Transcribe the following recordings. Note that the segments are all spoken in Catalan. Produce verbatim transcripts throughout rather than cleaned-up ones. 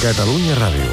Catalunya Ràdio.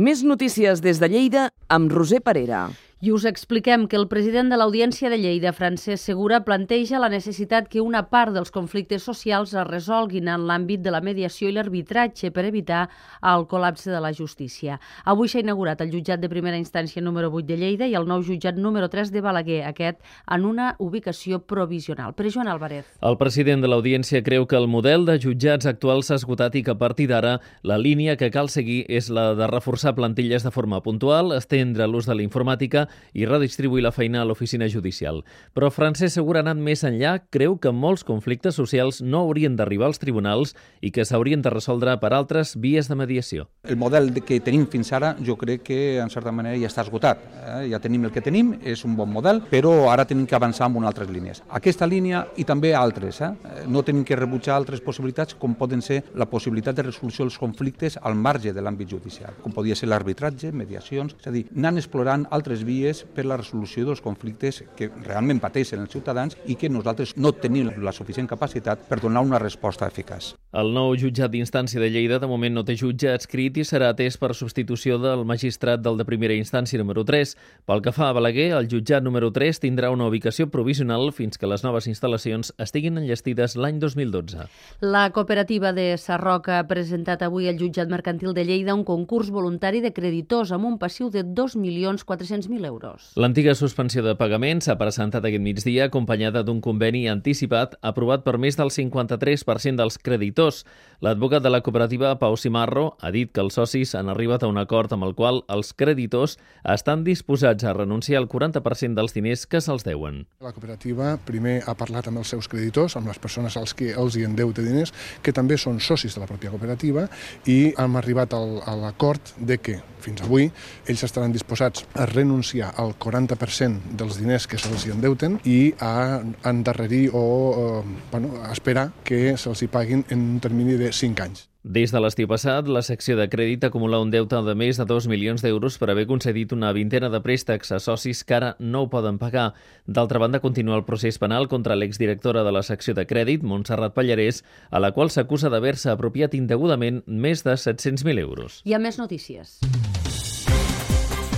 Més notícies des de Lleida amb Roser Parera. I us expliquem que el president de l'Audiència de Lleida, Francesc Segura, planteja la necessitat que una part dels conflictes socials es resolguin en l'àmbit de la mediació i l'arbitratge per evitar el col·lapse de la justícia. Avui s'ha inaugurat el jutjat de primera instància número vuit de Lleida i el nou jutjat número tres de Balaguer, aquest en una ubicació provisional. Per Joan Álvarez. El president de l'Audiència creu que el model de jutjats actual s'ha esgotat i que a partir d'ara la línia que cal seguir és la de reforçar plantilles de forma puntual, estendre l'ús de la informàtica i redistribuir la feina a l'oficina judicial. Però Francesc Segura ha anat més enllà, creu que molts conflictes socials no haurien d'arribar als tribunals i que s'haurien de resoldre per altres vies de mediació. El model que tenim fins ara jo crec que en certa manera ja està esgotat. Eh? Ja tenim el que tenim, és un bon model, però ara tenim que avançar amb altres línies. Aquesta línia i també altres. Eh? No tenim que rebutjar altres possibilitats com poden ser la possibilitat de resolució dels conflictes al marge de l'àmbit judicial, com podria ser l'arbitratge, mediacions, és a dir, anant explorant altres vies per la resolució dels conflictes que realment pateixen els ciutadans i que nosaltres no tenim la suficient capacitat per donar una resposta eficaç. El nou jutjat d'instància de Lleida de moment no té jutge adscrit i serà atès per substitució del magistrat del de primera instància número tres. Pel que fa a Balaguer, el jutjat número tres tindrà una ubicació provisional fins que les noves instal·lacions estiguin enllestides l'any dos mil dotze. La cooperativa de Sarroca ha presentat avui al jutjat mercantil de Lleida un concurs voluntari de creditors amb un passiu de dos milions quatre-cents mil euros. L'antiga suspensió de pagament s'ha presentat aquest migdia acompanyada d'un conveni anticipat aprovat per més del cinquanta-tres per cent dels creditors. L'advocat de la cooperativa, Pau Simarro, ha dit que els socis han arribat a un acord amb el qual els creditors estan disposats a renunciar al quaranta per cent dels diners que se'ls deuen. La cooperativa primer ha parlat amb els seus creditors, amb les persones als que els hi endeuta diners, que també són socis de la pròpia cooperativa, i hem arribat al, a l'acord de que, fins avui, ells estaran disposats a renunciar al quaranta per cent dels diners que se'ls hi endeuten i a endarrerir o eh, bueno, a esperar que se'ls hi paguin en un termini de cinc anys. Des de l'estiu passat, la secció de crèdit acumula un deute de més de dos milions d'euros per haver concedit una vintena de préstecs a socis que ara no ho poden pagar. D'altra banda, continua el procés penal contra l'exdirectora de la secció de crèdit, Montserrat Pallarès, a la qual s'acusa d'haver-se apropiat indegudament més de set-cents mil euros. Hi ha més notícies.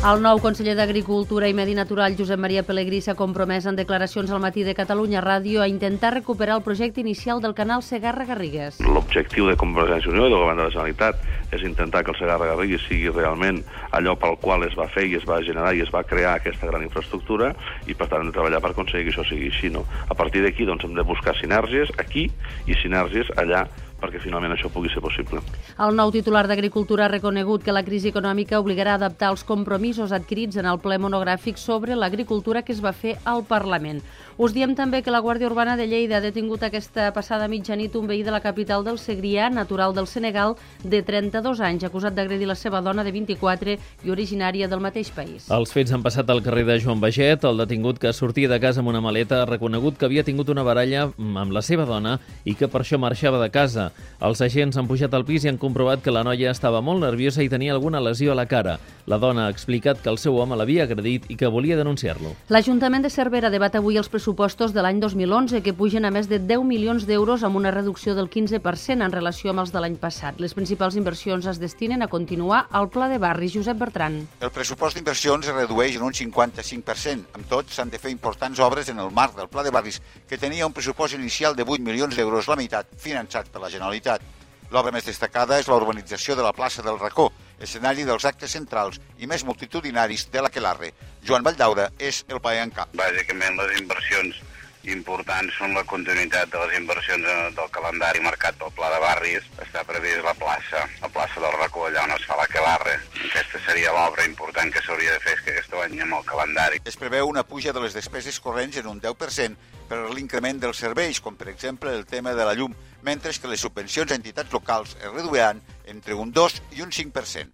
El nou conseller d'Agricultura i Medi Natural, Josep Maria Pelegrí, s'ha compromès en declaracions al matí de Catalunya Ràdio a intentar recuperar el projecte inicial del canal Segarra-Garrigues. L'objectiu de Convergència i Unió i del Govern de la Generalitat és intentar que el Segarra-Garrigues sigui realment allò pel qual es va fer i es va generar i es va crear aquesta gran infraestructura i, per tant, hem de treballar per aconseguir que això sigui així. No? A partir d'aquí doncs, hem de buscar sinergies aquí i sinergies allà perquè finalment això pugui ser possible. El nou titular d'Agricultura ha reconegut que la crisi econòmica obligarà a adaptar els compromisos adquirits en el ple monogràfic sobre l'agricultura que es va fer al Parlament. Us diem també que la Guàrdia Urbana de Lleida ha detingut aquesta passada mitjanit un veí de la capital del Segrià, natural del Senegal, de trenta-dos anys, acusat d'agredir la seva dona de vint-i-quatre i originària del mateix país. Els fets han passat al carrer de Joan Baget. El detingut, que sortia de casa amb una maleta, ha reconegut que havia tingut una baralla amb la seva dona i que per això marxava de casa. Els agents han pujat al pis i han comprovat que la noia estava molt nerviosa i tenia alguna lesió a la cara. La dona ha explicat que el seu home l'havia agredit i que volia denunciar-lo. L'Ajuntament de Cervera debat avui els pressupostos de l'any dos mil onze, que pugen a més de deu milions d'euros amb una reducció del quinze per cent en relació amb els de l'any passat. Les principals inversions es destinen a continuar al Pla de Barris. Josep Bertran. El pressupost d'inversions es redueix en un cinquanta-cinc per cent. Amb tot, s'han de fer importants obres en el marc del Pla de Barris, que tenia un pressupost inicial de vuit milions d'euros, la meitat finançat per la Generalitat. L'obra més destacada és la urbanització de la plaça del Racó, escenari dels actes centrals i més multitudinaris de l'Aquelarre. Joan Valldaura és el paer en cap. Bàsicament les inversions importants són la continuïtat de les inversions del calendari marcat pel Pla de Barris. Està previst la plaça, la plaça del Racó, allà on es fa l'Aquelarre. Aquesta seria l'obra important que s'hauria de fer aquest any amb el calendari. Es preveu una puja de les despeses corrents en un deu per cent per l'increment dels serveis, com per exemple el tema de la llum, mentre que les subvencions a entitats locals es reduiran entre un dos i un cinc per cent.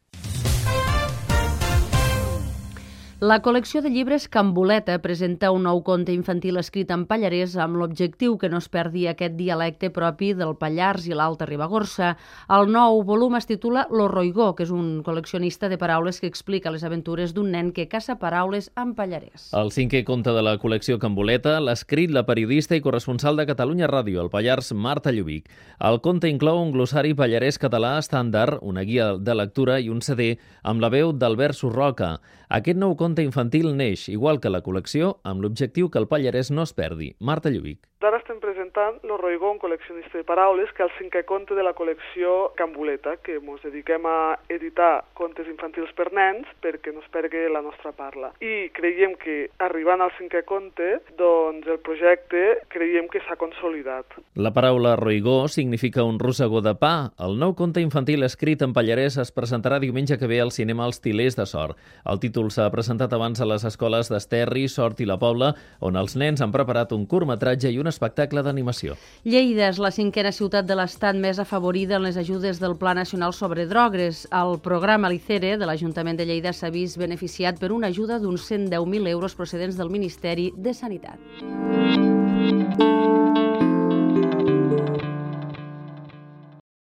La col·lecció de llibres Camboleta presenta un nou conte infantil escrit en pallarès amb l'objectiu que no es perdi aquest dialecte propi del Pallars i l'Alta Ribagorça. El nou volum es titula Lo Roigó, que és un col·leccionista de paraules que explica les aventures d'un nen que caça paraules en pallarès. El cinquè conte de la col·lecció Camboleta l'ha escrit la periodista i corresponsal de Catalunya Ràdio, al Pallars, Marta Llubic. El conte inclou un glossari pallarès català estàndard, una guia de lectura i un C D amb la veu d'Albert Surroca. Aquest nou conte infantil neix, igual que la col·lecció, amb l'objectiu que el pallarès no es perdi. Marta Llubic. Ara estem presentant Lo Roigó, un col·leccionista de paraules, que és el cinquè conte de la col·lecció Camboleta, que ens dediquem a editar contes infantils per nens perquè no es perdi la nostra parla. I creiem que, arribant al cinquè conte, doncs el projecte creiem que s'ha consolidat. La paraula roigó significa un rosegó de pa. El nou conte infantil escrit en pallarès es presentarà diumenge que ve al cinema Els Tilers de Sort. El títol s'ha presentat abans a les escoles d'Esterri, Sort i la Pobla, on els nens han preparat un curtmetratge i un espectacle d'animació. Lleida és la cinquena ciutat de l'Estat més afavorida en les ajudes del Pla Nacional sobre Drogues. El programa Licere de l'Ajuntament de Lleida s'ha vist beneficiat per una ajuda d'uns cent deu mil euros procedents del Ministeri de Sanitat.